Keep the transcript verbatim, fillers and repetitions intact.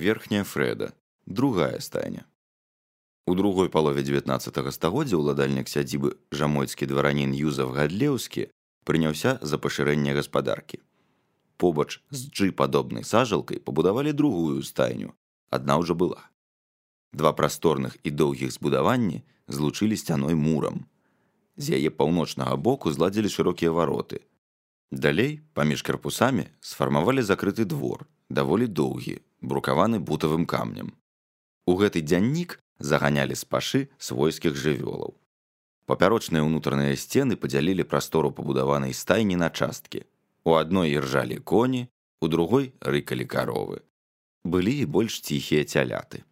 Верхняя Фрэда, другая стайня. У другой палове дзевятнаццатага стагоддзя ўладальнік сядзібы жамойцкі дваранін Юзаф Гадлеўскі прыняўся за пашырэнне гаспадаркі. Побач з джы-падобнай сажалкай пабудавалі другую стайню, адна ўжо была. Два прасторных і доўгіх збудаванні злучылі сцяной мурам. З яе паўночнага боку зладзілі шырокія вароты. Далей, паміж карпусамі, сфармавалі закрыты двор, даволі доўгі, брукаваны бутавым камнем. У гэты дзяннік заганялі з пашы свойскіх жывёлаў. Папярочныя ўнутраныя сцены падзялілі прастору пабудаванай стайні на часткі. У адной іржалі коні, у другой рыкалі каровы. Былі і больш ціхія цяляты.